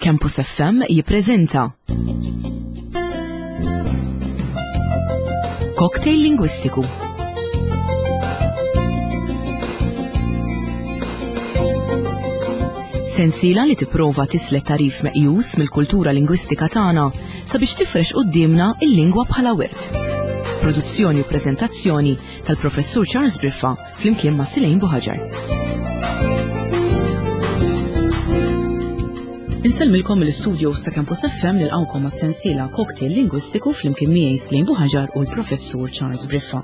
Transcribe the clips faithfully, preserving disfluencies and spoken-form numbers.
Campus F M jippreżenta Cocktail Lingwistiku. Sensiela li tipprova tislet tarif meqjus mill-kultura lingwistika tagħna sabiex tifrex quddiemna il-lingwa bħala wirt. Produzzjoni u preżentazzjoni tal-Professur Charles Briffa flimkien ma' Silejn Buħaġar. Insellmilkom mill-istudio sa' Campus F M nilqgħukom għas-sensiela Cocktail Lingwistiku flimkien miegħi Silejn Buħaġar u l-Professur Charles Briffa.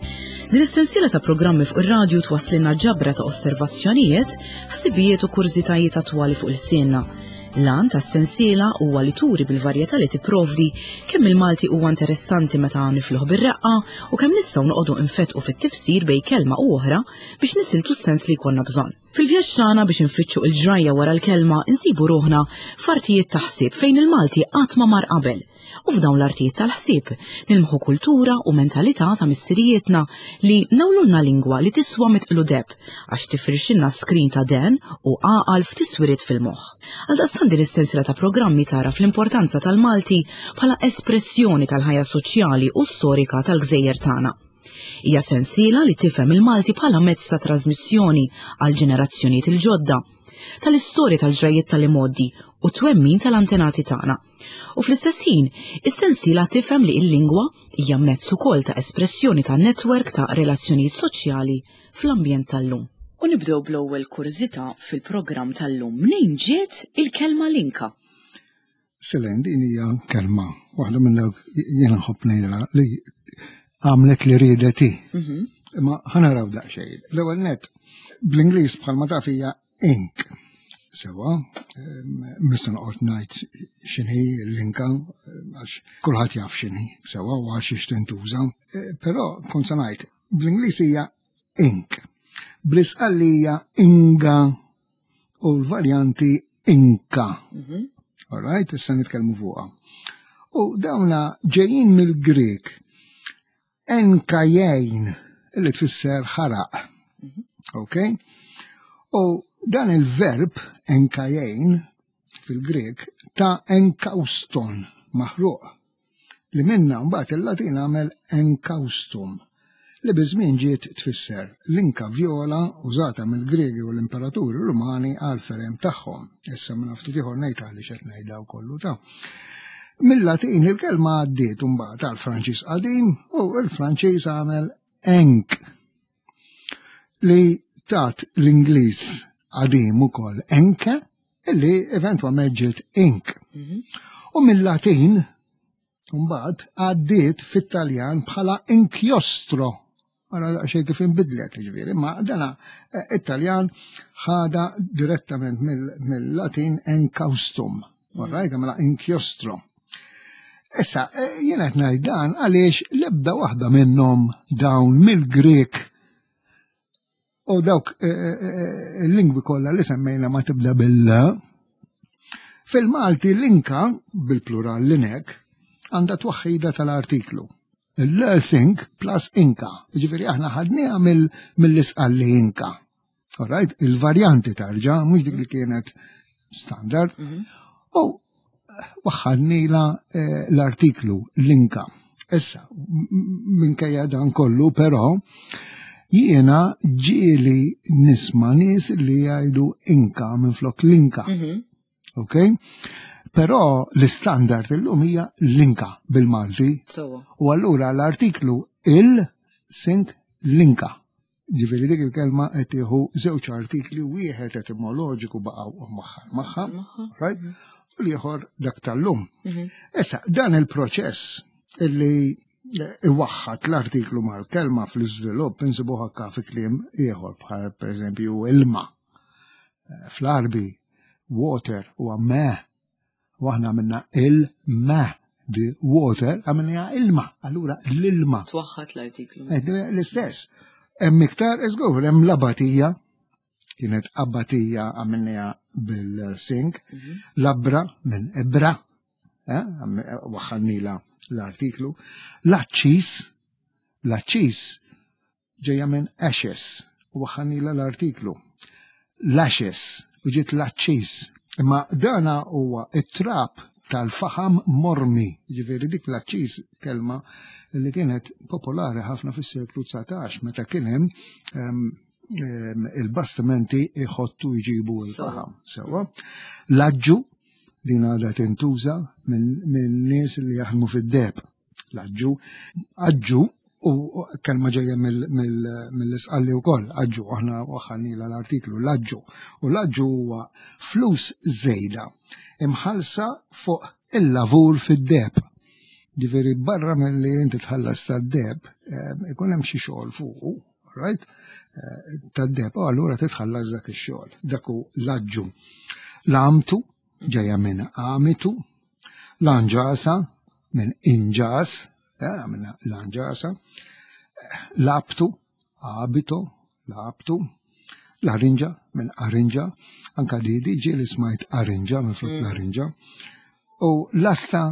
Din is-sensiela ta' programmi fuq ir-radju twasslilna ġabra ta' osservazzjonijiet, ħsibijiet u kurżitajiet attwali fuq il-sienna. L-għan tas-sensiela huwa li turi bil-varjetà li tipprovdi kemm il-Malti huwa interessanti meta nifluh bir-reqqa u kemm nistgħu noqogħdu nfetqu fit-tifsir bejn kelma u oħra biex nisiltu s-sens li jkollna bżonn. Fil-vjaġġ tagħna biex infittxu l-ġrajja wara l-kelma insibu ruħna f'artijiet ta' ħsieb fejn il-Malti qatt ma mar qabel. U f'dawn l-artijiet tal-ħsieb nilmħu kultura u mentalità ta' missirijietna li nawlulna lingwa li tiswa mitqlu deb għax tifrixilna skrin ta' den u għaqal f'tiswiriet fil-moħħ. Għaldaqstant din is-sensiela ta' programmi tara fl-importanza tal-Malti bħala espressjoni tal-ħajja soċjali u storika tal-gżejjer tagħna. Hija sensiela li tifhem il-Malti bħala mezz ta' trasmissjoni għal ġenerazzjonijiet il-ġodda, tal-istorja tal-ġrajiet tal-imgħoddi u twemmin tal-antenati tagħna. U fl-istess ħin, is-sensiela tifhem li l-lingwa hija mezz ukoll ta' espressjoni ta' netwerk ta' relazzjonijiet soċjali fl-ambjent tal-lum. U nibdew bl-ewwel kurżità fil-programm tal-lum. Mnejn ġiet il-kelma linka? Silejn, din hija kelma waħda minn dawk jiena nħobb ngħidha li għamlet li riedet hi. Mhm. Imma ħanaraw daqsxejn. L-ewwel nett bl-Ingliż bħalma taf hija ink. Sewa, mista noqgħod ngħid x'inhi l-inka, għax kulħadd jaf x'inhi, sewa u għax xiex tintuża. E, però kont se ngħid, bl-Ingliż hija ink. Bl-Isqalli hija inga u l-varjanti inka. Mhm. All right, issa nitkellmu fuqha. U dawna ġejjin mill-Grek enkajejn, li tfisser ħaraq. Mhm. Ok? U dan il-verb enkajejn fil-Grek ta' enkauston, maħruq, li minna mbagħad il-Latin għamel enkaustum, li biż-żmien ġiet tfisser l-inka vjola użata mill-Gregi u l-imperaturi Rumani għal ferem tagħhom. Issa minn ftit ieħor ngħid għaliex qed ngħid daw kollu ta'. Mill-Latin il-kelma għaddiet mbagħad għal Franċiż qadim u l-Franċiż għamel enk li tat l-Ingliż qadim ukoll enke illi eventwalment ġiet ink. Mhm. U mill-Latin mbagħad għaddiet fit-Taljan bħala inchiostro. Ara daqsxejn kif inbidlet, jiġifieri, imma dana, eh, it-Taljan ħada direttament mill-, mill-Latin encaustum. Mhm. All right, mela inchiostro. Issa, eh, jien qed ngħid dan għaliex l-ebda waħda minnhom dawn mill-Grek u dawk, eh, eh, eh, il-lingwi kollha li semmejna ma tibda bil-la. Fil-Malti l-inka, bil-plural l-inek, għandha twaħħida tal-artiklu. Il-sink plus inka. Jiġifieri aħna ħadniha mill-, mill-isqalli inka. All right? Il-varjanti tarġa, mhux dik li kienet standard. Mhm. U waħħalnila, eh, l-artiklu l-inka. Issa, m-, m-, minkejja dan kollu, però, jiena ġieli nisma' nies li jgħidu inka minflok l-inka. Mhm. Ok? Però l-istandard illum hija l-inka bil-Malti. Sewwa. U allura l-artiklu il-sink l-inka. Ġifieri dik il-kelma qed tieħu żewġ artikli, wieħed etimoloġiku baqgħu magħha, magħha, Magħha. right? U l-ieħor dak tal-lum. Mhm. Issa, dan il-proċess illi iwaħħat l-artiklu mal-kelma fl-iżvilupp insibuh anke fi kliem ieħor bħal pereżempju ilma. Eh, fl-Arbi water huwa me, u aħna għamilna il-me, the water għamilna ilma, allura l-ilma. Twaħħat l-artiklu. Eh, l-istess. Hemm iktar, iżgur, hemm l-abatija, kienet abatija għamilniha bil-sink, Mhm. labra minn ibra, eh, għam-, waħħalnila l-artiklu, l-aċċis, l-aċċis ġejja minn ashes, u waħħalnila l-artiklu, l-ashes, u ġiet l-aċċis, Imma dana huwa it-trab tal-faħam mormi, ġifieri dik l-aċċiż kelma li kienet popolari ħafna fis-seklu dsatax meta kien hemm il-bastimenti iħottu jġibu l-faħam. Sewwa. L-aġġu din għadha tintuża minn nies li jaħdmu fid-deheb. L-aġġu, aġġu u kelma ġejja mill-Isqalli wkoll, aġġu, aħna waħħalnila l-artiklu, l-aġġu. U l-aġġu huwa flus żejda imħallsa fuq il-lavur fid-deheb. Ġifieri barra milli inti tħallas tad-deheb, ikun hemm xi xogħol fuqu, right? Tad-deheb, u allura titħallas dak ix-xogħol. Dak hu l-aġġu. L-amtu ġejja minn amitu, l-anġasa minn inġas, minn l-anġasa, l-abtu, abito, l-abtu, l-arinġa minn arinġa, anka di diġi li smajt arinġa minn flok l-arinġa, u l-asta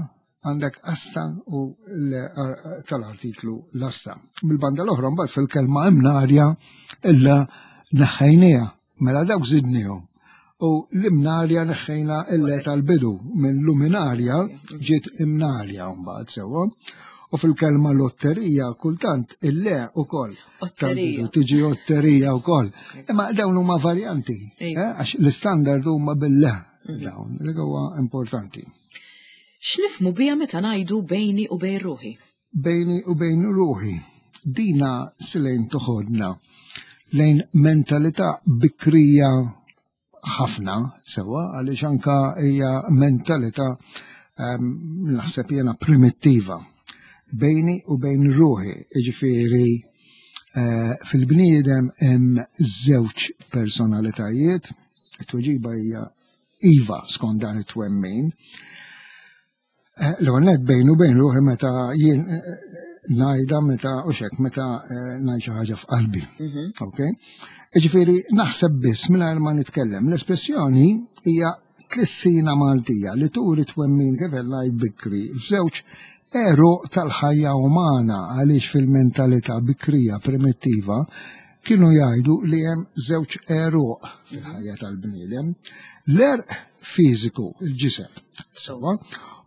għandek asta u tal-artiklu l-asta. Mill-banda l-oħra mbagħad fil-kelma imnarja illa neħħejniha, mela dawk żidnihom. U l-imnarja neħħejna illa tal-bidu minn luminarja ġiet imnarja mbagħad sewwa. U fil-kelma lotterija kultant il-le ukoll. Otterija. Tiġi otterija wkoll. Imma dawn huma varjanti, għax l-istandard huma bil-le dawn, li huwa importanti. X'nifhmu biha meta ngħidu bejni u bejn ruħi? Bejni u bejn ruħi. Dina silejn toħodna lejn mentalità bikrija ħafna sewwa, għaliex anka hija mentalità naħseb jiena primittiva. Bejni u bejn ruħi, jiġifieri fil-bniedem hemm żewġ personalitajiet, it-tweġiba hija iva skont dan it-twemmin. L-ewwel nett bejn u bejn ruħi meta jien ngħidha meta u xek meta ngħid xi ħaġa f'qalbi. Okay? Jiġifieri naħseb biss mingħajr ma nitkellem. L-espressjoni hija tlissina Maltija li turi twemmin kif ngħid bikri f'żewġ għeruq tal-ħajja umana, għaliex fil-mentalità bikrija primittiva kienu jgħidu li hemm żewġ għeruq fil-ħajja tal-bniedem. L-għerq fiżiku, il-ġisem, sewwa,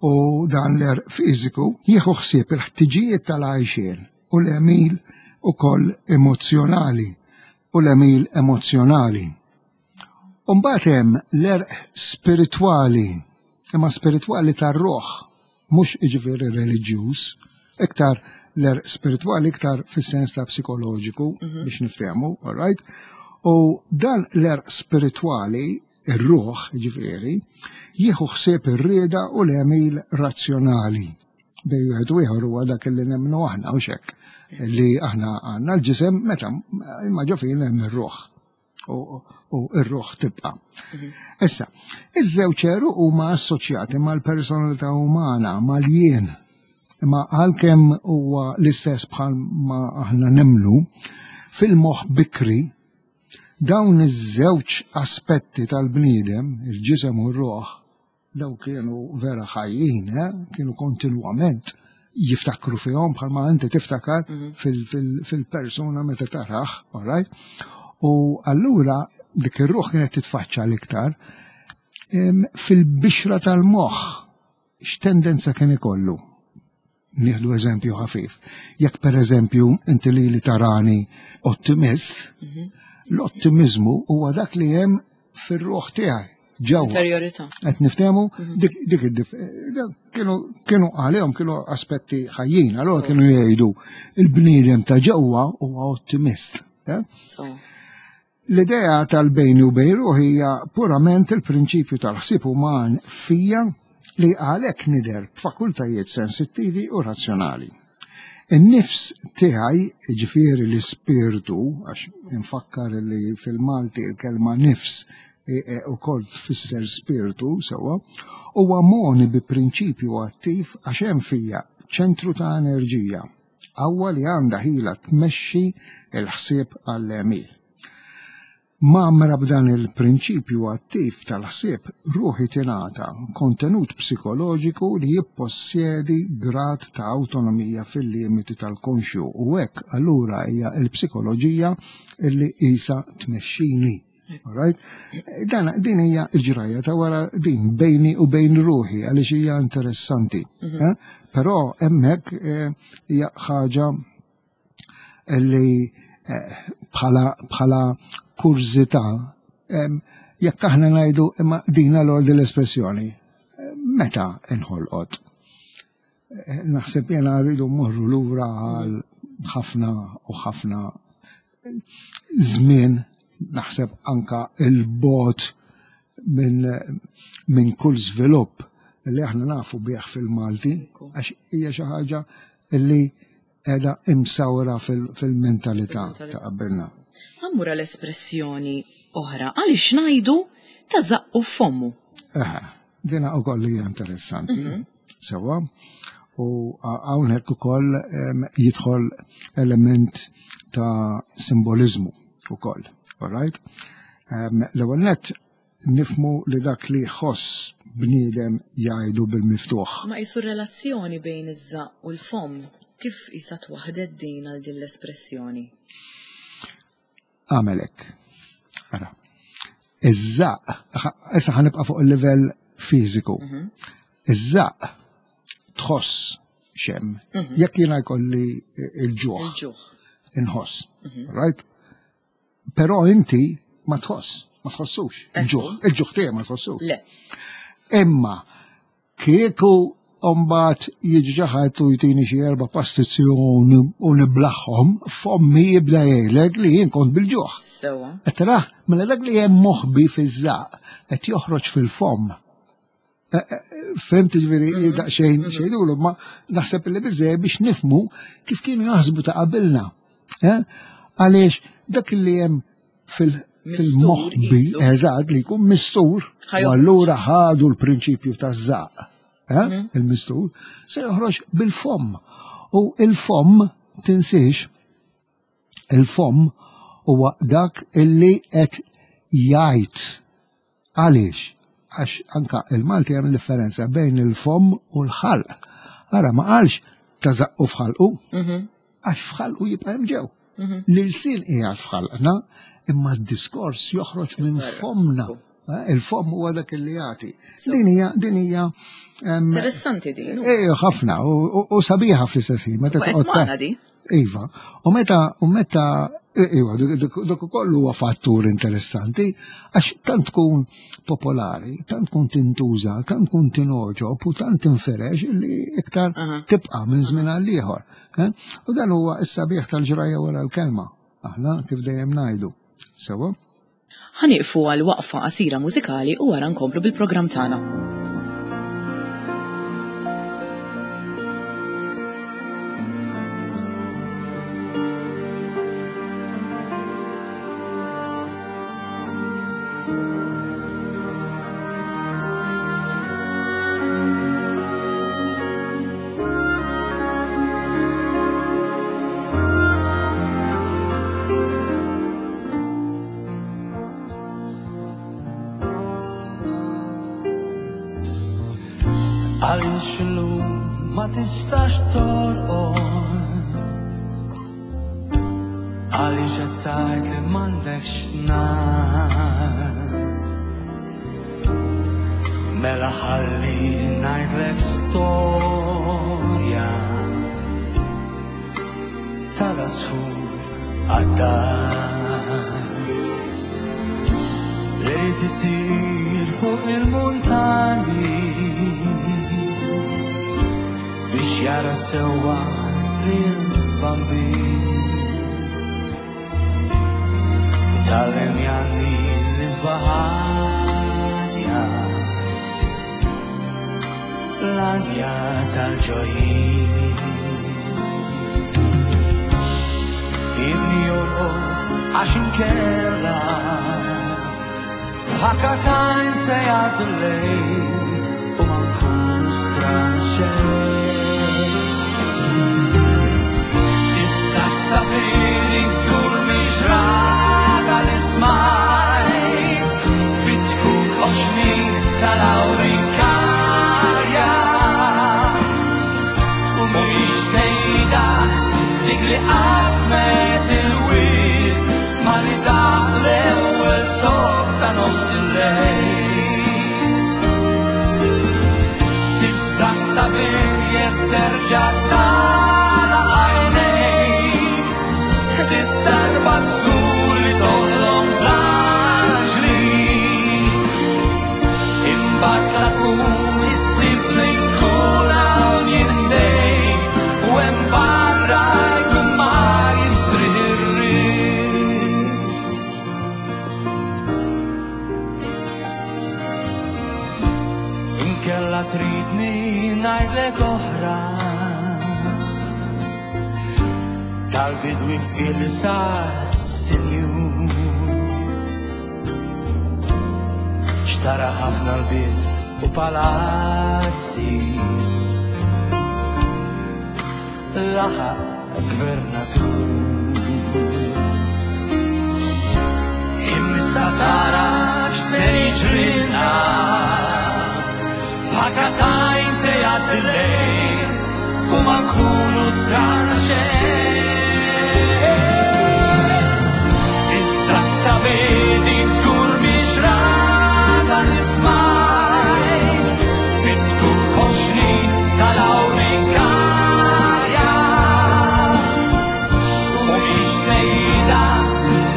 u dan l-għerq fiżiku jieħu ħsieb il-ħtiġijiet tal-għajxien u l-għemil ukoll emozzjonali u l-għemil emozzjonali. U mbagħad hemm l-għerq spiritwali, imma spiritwali tar-ruħ, mhux jiġifieri reliġjuż, iktar l-għerq spiritwali iktar fis-sens ta' psikoloġiku biex niftehmu, all right? U dan l-għerq spiritwali, ir-ruħ, jiġifieri, jieħu ħsieb ir-rieda u l-għemil razzjonali. Bejn wieħed u ieħor huwa dak li nemmnu aħna u xek, li aħna għandna l-ġisem meta imma ġo fina hemm ir-ruħ. U r-ruħ tibqa'. Issa, iż-żewġ għeruq huma assoċjati mal-personalità umana, mal-jien. Imma għalkemm huwa l-istess bħal ma aħna nemmnu, fil-moħħ bikri dawn iż-żewġ aspetti tal-bniedem, il-ġisem u r-ruħ, daw kienu vera ħajjin, eh? Kienu kontinwament jiftakru fihom bħalma inti tiftakar fil-persuna meta taraħ, all right? U allura dik ir-ruħ kienet titfaċċa l-iktar fil-bixra tal-moħħ. X'tendenza kien ikollu? Nieħdu eżempju ħafif. Jekk per eżempju inti li li tarani ottimist, l-ottimizmu huwa dak li hemm fir-ruħ tiegħi. Ġewwa. Interiorità. Qed niftehmu dik dik kienu kienu għalihom kienu aspetti ħajjin, allura kienu jgħidu il-bniedem ta' ġewwa huwa ottimist. L-idea tal-bejni u bejn ruħi hija purament il-prinċipju tal-ħsieb uman fija li għalhekk nidher b'fakultajiet sensittivi u razzjonali. In-nifs tiegħi, ġifieri l-ispirtu, għax infakkar li fil-Malti il-kelma nifs ukoll tfisser spirtu sewwa, huwa moni bi prinċipju attiv għax hemm fija ċentru ta' enerġija, qawwa li għandha ħila tmexxi l-ħsieb għall-għemil. Mgħammra b'dan il-prinċipju attiv tal-ħsieb, ruħi tingħata kontenut psikoloġiku li jippossjedi grad ta' awtonomija fil-limiti tal-konxju, u hekk allura hija l-psikoloġija li qisha tmexxini. Right? Dan, din hija l-ġrajja ta' wara din bejni u bejn ruħi għaliex hija interessanti. Mm -hmm. eh? Però hemmhekk hija eh, ħaġa li eh, bħala bħala kurżità eh, jekk aħna ngħidu imma din l l-espressjoni meta inħolqot. Naħseb jena rridu mmorru lura għal ħafna u ħafna żmien, naħseb anka il-bot minn min kull żvilupp li aħna nafu bih fil-Malti, għax hija xi ħaġa li qiegħda imsawra fil-mentalità ta' qabilna. Ħammur l-espressjoni oħra, għaliex ngħidu ta' żaqqu f'fommu. Eħe, dina wkoll hija interessanti. Sewa, u hawnhekk ukoll jidħol element ta' simboliżmu ukoll. All right? L-ewwel nett nifmu li dak li jħoss bniedem jgħidu bil-miftuħ. Ma qisu relazzjoni bejn iż-żaqq u l-fomm, kif qisha twaħdet din għal din l-espressjoni? Għamel hekk. Ara. Iż-żaqq, issa ħanibqa' fuq il-livell fiżiku. Iż-żaqq tħoss xem. Jekk jiena jkolli il-ġuħ. Il-ġuħ. Inħoss. Right? Però inti ma tħoss, ma tħossux. Il-ġuħ, il-ġuħ tiegħek ma tħossux. Le. Imma kieku mbagħad jiġi xi ħadd u jtini xi erba' pastizzi u niblaħħom, fommi jibda jgħidlek li jien kont bil-ġuħ. Sewa. Qed taraħ, mela dak li hemm moħbi fiż-żaqq qed joħroġ fil-fomm. Fhimt ġifieri daqsxejn xejdulu, ma naħseb li biżejjed biex nifmu kif kienu jaħsbu ta' qabilna. Għaliex dak li hemm fil-moħbi, eżatt, li jkun mistur, u allura ħadu l-prinċipju taż-żaqq, il-mistur, se joħroġ bil-fomm. U il-fomm, tinsiex, il-fomm huwa dak illi qed jgħid. Għaliex? Għax anka il-Malti hemm differenza bejn il-fomm u l-ħalq. Ara ma qalx ta' żaqqu f'ħalqu, għax f'ħalqu jibqa' hemm ġew. L-ilsien qiegħed f'ħalqna, imma d-diskors joħroġ minn fommna. Il-fomm huwa dak li jagħti. Din hija din hija interessanti din. Eh ħafna u sabiħa fl-istess ħin. Meta toqgħod di. Iva, u meta u meta iva, dak ukoll huwa fattur interessanti għax tant tkun popolari, tant tkun tintuża, tant tkun tinogħġob u tant tinferex li iktar tibqa' minn żmien għal ieħor. U dan huwa s-sabiħ tal-ġrajja wara l-kelma. Aħna kif dejjem ngħidu. Sewa? Ħanieqfu għal waqfa qasira mużikali u wara nkomplu bil-programm tagħna. Għaliex illum ma tistax torqod, għaliex qed tgħid li m'għandekx nas. Mela ħalli ngħidlek storja tal-għasfur għad-das li titir fuq il-muntanji biex jara sewwa lil-Bambin. Tgħallem jgħanni l-isbaħanja, l-għanja tal-ġojjin. Ibni jorqod għax inkella f'ħakatajn se jgħaddi l-lejl u ma nkunu strana xejn. Sabini żgur mhix rata li smajt fit-tkun oxni tal-awrikarja u mhix tgħidha dik li qasmet il-wied ma li daq l-ewwel tokk ta' nofs il-lejl. Tibsa' sabiħ jekk terġa' tagħlaq għajnejk, dit-darba żgur li toħlom bl-anġli. Imbagħad la tkun issib li nkun hawn jien ħdejk, u hemm barra jkun ma jistrieħ ir-riħ. Inkella tridni ngħidlek oħra tal-bidwi fqir li sar sinjur, xtara ħafna lbies u palazzi, laħaq gvernatur. Imma tara x'se jiġrilna, f'ħakatajn se jgħaddi l-lejl u ma nkunu strana xejn. Issa x'sabedi żgur mhix rada nismaj, fit-skur koxni tal-awrikarja. U mhix tnejda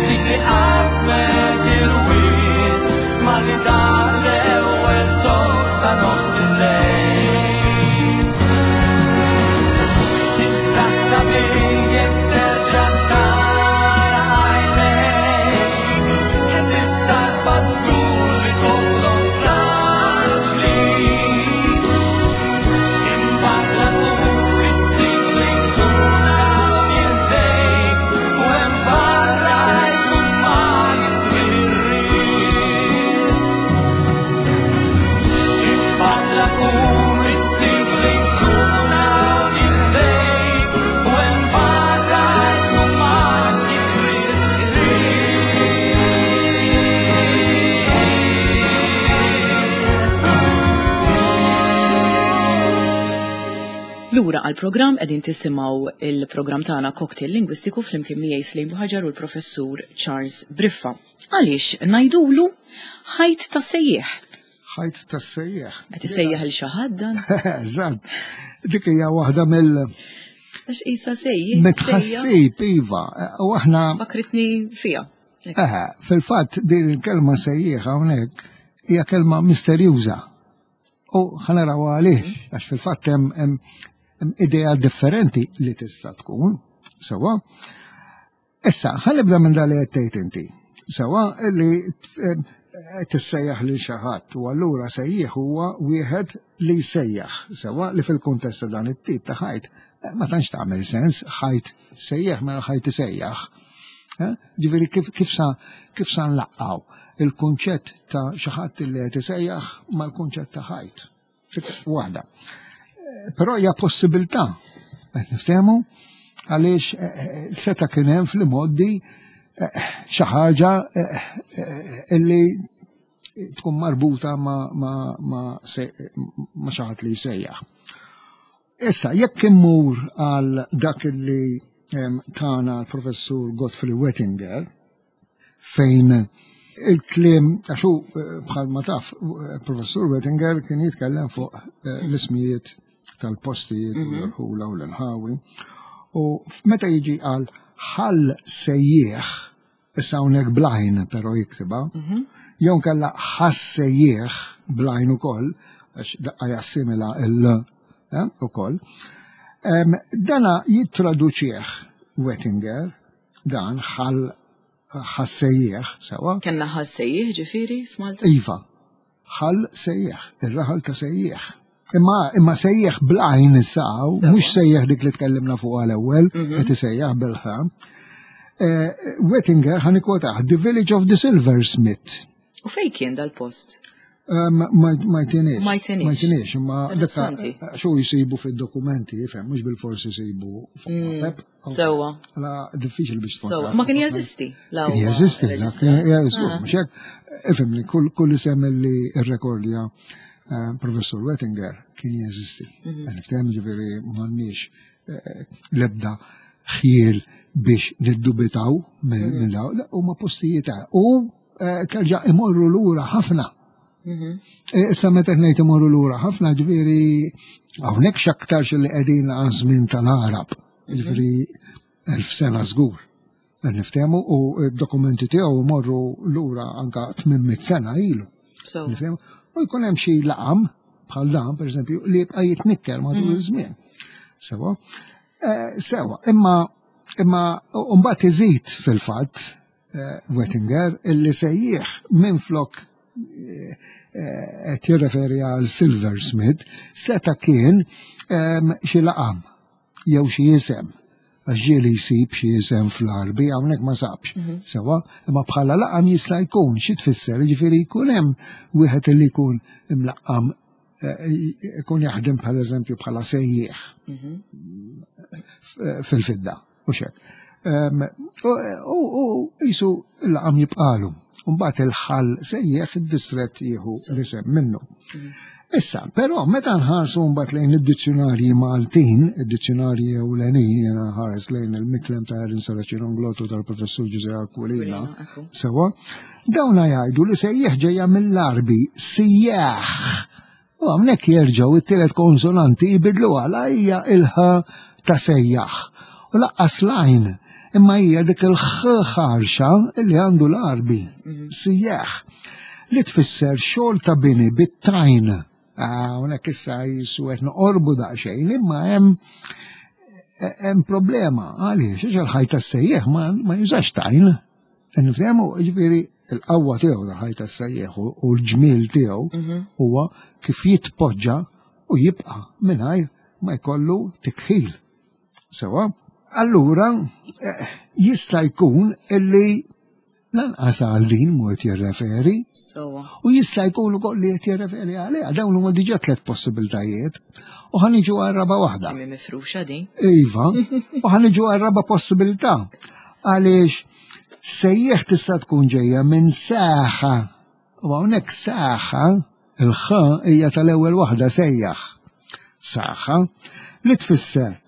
dik li qasmet il-wied malli daq l-ewwel tokk ta' nofs il-lejl. Tibsa' sabiħ jekk terġa' tara għajnejk, dit-darba żgur li toħlom bl-anġli. Imbagħad la tkun issib li nkun hawn jien ħdejk, u hemm barra jkun ma jistrieħ ir-riħ. Imbagħad la tkun issib li nkun hawn jien ħdejk, u hemm barra jkun ma jistrieħ ir-riħ. Lura għal-programm qegħdin tisimgħu il-programm tagħna Cocktail Lingwistiku flimkien miegħi Slim Buhaġar u l-Professur Charles Briffa. Għaliex ngħidulu ħajt ta' sejjieħ? Ħajt ta' sejjieħ. Qed isejjaħ il xi ħadd dan? Eżatt. Dik hija waħda mill Għax qisha sejjieħ. Mitħassib, iva. U aħna Fakritni fija. Eħe, fil-fatt din il-kelma sejjieħ hawnhekk hija kelma misterjuża. U ħa naraw għalih, għax fil-fatt hemm, hemm, hemm idea differenti li tista' tkun, sewwa. Issa, ħa nibda minn dak li qed tgħid inti. Sewwa li tissejjaħ lil xi ħadd, u allura sejjieħ huwa wieħed li jsejjaħ, sewwa li fil-kuntest ta' dan it-tip ta' ħajt ma tantx tagħmel sens, ħajt sejjaħ mela ħajt isejjaħ. Eh? Ġifieri kif, kif sa, kif sa nlaqqaw il-kunċett ta' xi ħadd li qed isejjaħ mal-kunċett ta' ħajt. Dik waħda. Eh, Però hija possibilità, qed niftehmu, għaliex, eh, eh, seta' kien hemm fl-imgħoddi, eh, xi ħaġa, eh, eh, illi tkun marbuta ma, ma, ma, se-, ma xi ħadd li jsejjaħ. Issa, jekk immur għal dak li, em, tana l-professur Godfrey Wettinger, fejn il-kliem, għax hu, eh, bħal ma taf, eh, professur Wettinger kien jitkellem fuq, eh, l-ismijiet tal-postijiet u Mhm. l-irħula u l-inħawi. U meta jiġi għal ħal sejjieħ, issa hawnhekk blajn però jiktiba, Mhm. jew nkella ħassejjieħ blajn ukoll, għax daqqa jassimila il-l, eh, ukoll. Em, dana jittraduċieħ Wettinger, dan ħal ħassejjieħ, sewa? Kenna ħassejjieħ ġifieri f'Malta? Iva, ħal sejjieħ, ir-raħal ta' sejjieħ. Imma, imma sejjieħ blajn issa, Sewa. mhux sejjieħ dik li tkellimna fuq għal-ewwel, Mhm. qed isejjaħ bil-ħa. Eh, Wettinger ħa nikkwotah, The Village of the Silversmith. U fejn kien dal-post? Um, ma, ma jtinix. Ma jtinix. Ma jtinix, imma dak Interessanti. xu jisibu fil-dokumenti, jifhem, mhux bil-forsi jisibu fuq Mm, mapep. Sewwa. La diffiċli biex tkun Sewwa. taf. Ma kien jeżisti? La Kien huwa jeżisti, la reġistrat. kien jeżisti, Ah. mhux hekk. Ifhimni, kull, kull isem li rrekordja, eh, Professor Wettinger kien jeżisti. Mhm. Nifhem ġifieri m'għandniex, eh, l-ebda ħjiel biex niddubitaw minn Mhm. minn daw, huma postijiet ta' u eh, terġa' imorru lura ħafna. Eh, Issa meta ngħid imorru lura ħafna, ġifieri hawnhekk x'aktarx li qegħdin għaż-żmien tal-Għarab, ġifieri elf sena żgur. Qed niftehmu u d-dokumenti tiegħu morru lura anka tmien mitt sena ilu. So, Nifhem? U jkun hemm xi laqam bħal dan, pereżempju, li jibqa' jitnikker matul iż-żmien. Sewa. Eh, Sewa, imma imma mbagħad iżid fil-fatt eh, Wettinger illi sejjieħ minflok eh, qed jirreferi għal silversmith seta' kien em, xi laqam jew xi isem, għax ġieli jsib xi isem fl-Għarbi, hawnhekk ma sabx. Sewa, imma bħala laqam jista' jkun. Xi tfisser, jiġifieri jkun hemm wieħed li jkun imlaqqam, eh, jkun jaħdem bħal eżempju bħala sejjieħ f- fil-fidda, u xek. U u jisu il-laqam jibqalu. Mbagħad il-ħal sejjeħ, id-distret jieħu l-isem minnu. Issa, però meta nħarsu mbagħad lejn id-dizzjonarji Maltin, id-dizzjonarji ewlenin, jena ħares lejn il-Miklem ta' Erin Serracino Inglott u tal-Professur Ġużè Aquilina, ekku. sewa, dawna jgħidu li sejjeħ ġejja mill-Għarbi, sijjaħ. U hawnhekk jerġgħu it-tielet konsonanti jbidlu għala hija il-ħ ta' sejjaħ. U lanqas l-għajn, imma hija dik il-ħ ħarxa li għandu l-Għarbi, sijjaħ, li tfisser xogħol ta' bini bit-tajn. Hawnhekk issa jisu qed noqorbu daqsxejn, imma hemm hemm problema. Għaliex? Għax il-ħajt tas-sejjeħ ma, ma jużax tajn. Nifhemu, ġifieri il-qawwa tiegħu tal-ħajt tas-sejjeħ u u l-ġmiel tiegħu huwa kif jitpoġġa u jibqa' mingħajr ma jkollu tikħil. Sewa, allura eh, jista' jkun illi lanqas għal din mu qed jirreferi Sewa. u jista' jkun ukoll li qed jirreferi għaliha. Dawn huma diġà tliet possibiltajiet u ħa niġu għal raba' waħda. Kemm mifruxa din. Iva, u ħa niġu għal raba' possibilità. Għaliex sejjeħ tista' tkun ġejja minn saħa. U hawnhekk saħa, il-ħa hija tal-ewwel waħda, sejjaħ. Saħa li tfisser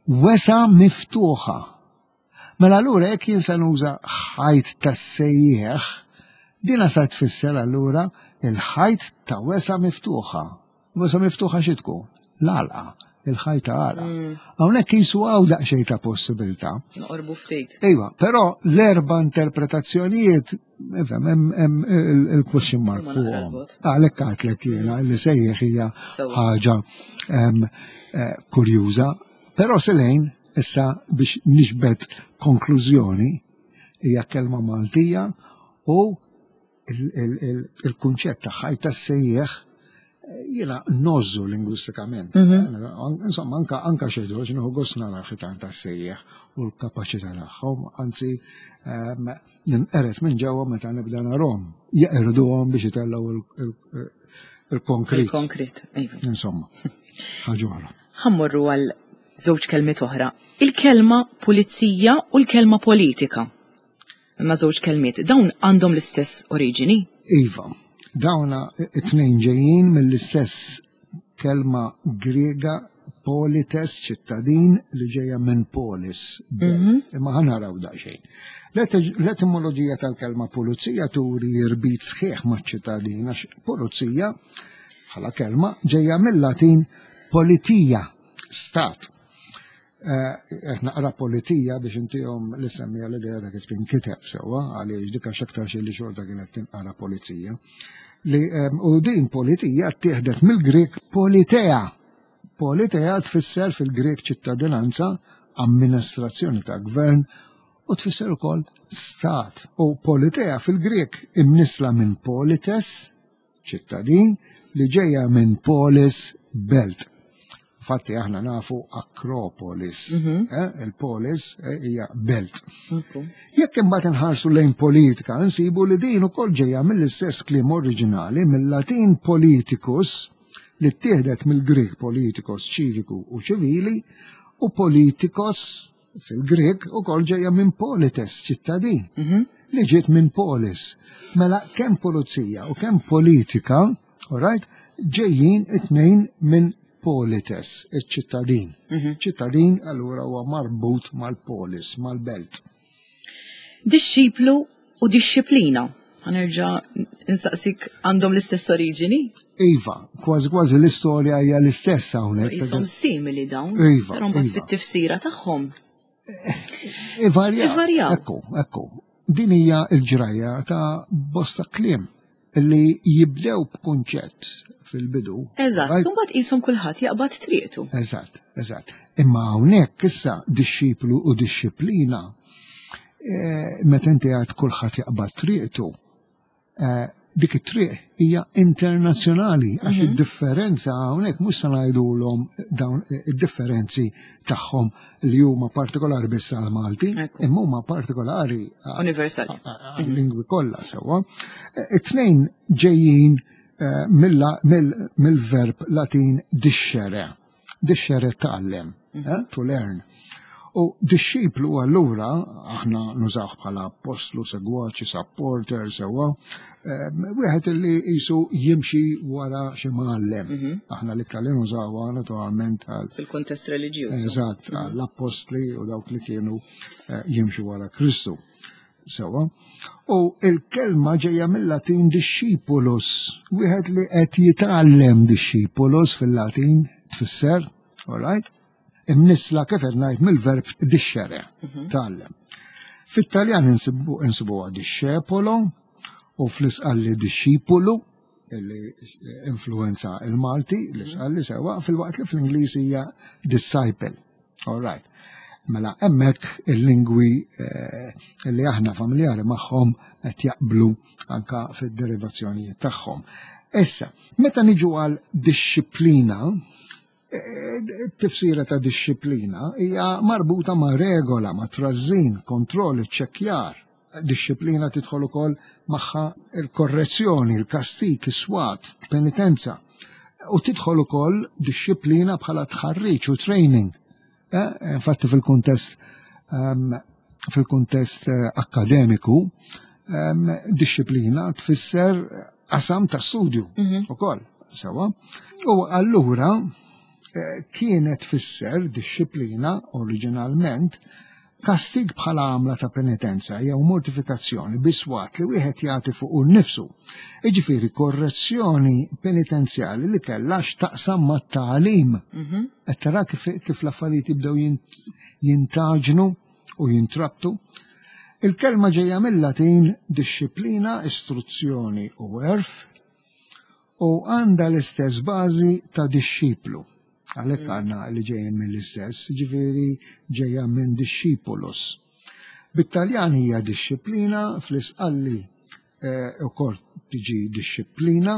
wesgħa miftuħa. Mela allura jekk jien se nuża ħajt tas-sejjeħ, dina sa tfisser allura il-ħajt ta' wesgħa miftuħa. Wesgħa miftuħa xi tkun? L-għalqa, il-ħajt ta' għalqa. Hawnhekk jisu hawn daqsxejn ta' possibilità. Noqorbu ftit. Iva, però l-erba interpretazzjonijiet, ifhem, hemm hemm il- il-question mark Huma naqra fuqhom. l-bogħod. Għalhekk għedtlek jiena li sejjeħ hija Sewa. ħaġa em, eh, kurjuża. Però Selejn, issa biex nixbet konklużjoni, hija kelma Maltija u il- il- il- il-kunċett ta' ħajt tas-sejjeħ eh, jiena ngħożżu lingwistikament. Insomma, anka anka xejdu, għax nieħu gost nara l-ħitan tas-sejjeħ u l-kapaċità tagħhom, anzi ehm, ninqered minn ġewwa meta nibda narhom. Jeqirduhom biex itellgħu il- il- il-konkrit. Il-konkrit. Iva. Insomma, ħaġa oħra. Ħa mmorru għal żewġ kelmiet oħra. Il-kelma pulizija u l-kelma politika. Imma żewġ kelmiet, dawn għandhom l-istess oriġini? Iva, dawna it-tnejn ġejjin mill-istess kelma Griega polites, ċittadin, li ġejja minn polis, belt. Imma ħa naraw daqsxejn. L-etimoloġija tal-kelma pulizija turi irbit sħiħ maċ-ċittadin, għax pulizija bħala kelma ġejja mill-Latin politia, stat. Eh, qed naqra politija biex intihom l-semmija l-idea ta' kif tinkiteb sewwa, għaliex dik għax aktar xi li xorta kienet tinqara polizija. Li, em, u din politija ttieħdet mill-Grek politea. Politea tfisser fil-Grek ċittadinanza, amministrazzjoni ta' gvern u tfisser ukoll stat. U politea fil-Grek imnisla minn polites, ċittadin, li ġejja minn polis, belt. Infatti aħna nafu Akropolis, eh, il-polis eh, hija belt. Jekk imbagħad inħarsu lejn politika, nsibu li din ukoll ġejja mill-istess kliem oriġinali, mill-Latin politicus, li ttieħdet mill-Grek politikos, ċiviku u ċivili, u politikos fil-Grek ukoll ġejja minn polites, ċittadin, li ġiet minn polis. Mela kemm pulizija u kemm politika, all right, ġejjin it-tnejn minn polites, iċ-ċittadin. Ċittadin allura huwa marbut mal-polis, mal-belt. Dixxiplu u dixxiplina. Ħa nerġa' nsaqsik, għandhom l-istess oriġini? Iva, kważi kważi l-istorja hija l-istess hawnhekk. Qishom simili dawn. Iva, Però mbagħad iva. fit-tifsira tagħhom. Ivarjaw. Ivarjaw. Ekku, ekku. Din hija l-ġrajja ta' bosta kliem li jibdew b'kunċett fil-bidu. Eżatt, Right? u mbagħad qishom kulħadd jaqbad triqtu. Eżatt, eżatt. Imma hawnhekk issa dixxiplu u dixxiplina, eh, meta inti għad kulħadd jaqbad triqtu, eh, dik it-triq hija internazzjonali, għax id-differenza hawnhekk mhux se ngħidulhom dawn id-differenzi tagħhom li huma partikolari biss għal Malti, Ekku. imma huma partikolari għal- Universali. għal-lingwi kollha sewwa. It-tnejn ġejjin eh, mill- mill- mill-verb Latin discere. Discere tgħallem, eh, to learn. U dixxiplu allura, aħna nużawh bħala apostlu, segwaċi, supporter, sewwa, eh, wieħed li qisu jimxi wara xi mgħallem. Aħna l-iktar li nużawha naturalment għal Fil-kontest reliġjuż. Eżatt, l-apostli u dawk li kienu eh, jimxu wara Kristu. Sewwa. U il-kelma ġejja mill-Latin discipulus, wieħed li qed jitgħallem. Discipulus fil-Latin tfisser, all right? Imnisla, kif qed ngħid, mill-verb discere, tgħallem. Fit-Taljan insibu insibuha discepolo u fl-Isqalli discipulu, illi influenza il-Malti, l-Isqalli sewwa, filwaqt li fl-Ingliż hija disciple. All right. Mela hemmhekk il-lingwi eh, li aħna familjari magħhom qed jaqblu anka fid-derivazzjonijiet tagħhom. Issa, meta niġu għal dixxiplina, eh, it-tifsira ta' dixxiplina hija marbuta ma' regola, ma' trażżin, kontroll, iċċekkjar. Dixxiplina tidħol ukoll magħha il-korrezzjoni, il-kastik, is-swat, penitenza. U tidħol ukoll dixxiplina bħala tħarriġ u training. Eh, Infatti fil-kuntest um, fil-kuntest eh, akkademiku, um, dixxiplina tfisser qasam ta' studju ukoll, sewwa. U allura eh, kienet tfisser dixxiplina oriġinalment kastig bħala għamla ta' penitenza jew mortifikazzjoni biswat li wieħed jagħti fuq nnifsu. Iġifieri korrezzjoni penitenzjali li kellha x'taqsam mat-tagħlim. Qed tara kif, kif l-affarijiet jibdew jint- jintaġnu u jintrabtu. Il-kelma ġejja mill-Latin dixxiplina, istruzzjoni u għerf, u għandha l-istess bażi ta' dixxiplu. Għalhekk għandna li ġejjin mill-istess, ġifieri ġejja minn discipulus. Bit-Taljan hija dixxiplina, fl-Isqalli eh, ukoll tiġi dixxiplina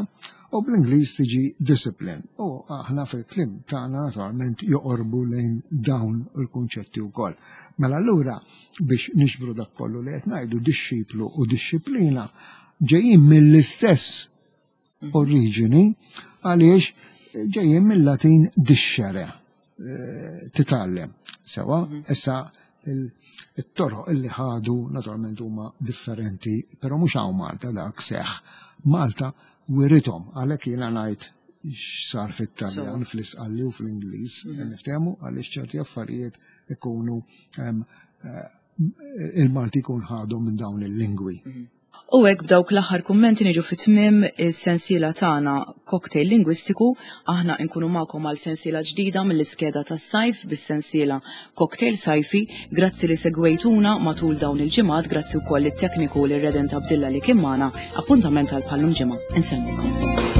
u bl-Ingliż tiġi discipline. U aħna fil-kliem tagħna naturalment joqorbu lejn dawn il-kunċetti wkoll. Mela allura, biex nixbru dak kollu li qed ngħidu, dixxiplu u dixxiplina ġejjin mill-istess oriġini għaliex ġejjin mill-Latin discere, eh, titgħallem. Sewwa, issa il- it-toroq illi ħadu naturalment huma differenti, però mhux hawn Malta dak seħ. Malta wirithom, għalhekk jiena ngħid x'sar fit-Taljan, fl-Isqalli u fl-Ingliż, niftehmu, għaliex ċerti affarijiet ikunu em, eh, il-Malti jkun ħadu minn dawn il-lingwi. U hekk b'dawk l-aħħar kummenti niġu fit-tmiem is-sensiela tagħna Cocktail Lingwistiku. Aħna nkunu magħkom għal sensiela ġdida mill-iskeda tas-sajf bis-sensiela Cocktail Sajfi. Grazzi li segwejtuna matul dawn il-ġimgħat, grazzi wkoll it-tekniku lil Redent Abdilla li kien magħna. Appuntament għal bħal-lum ġimgħa. Insellmilkom.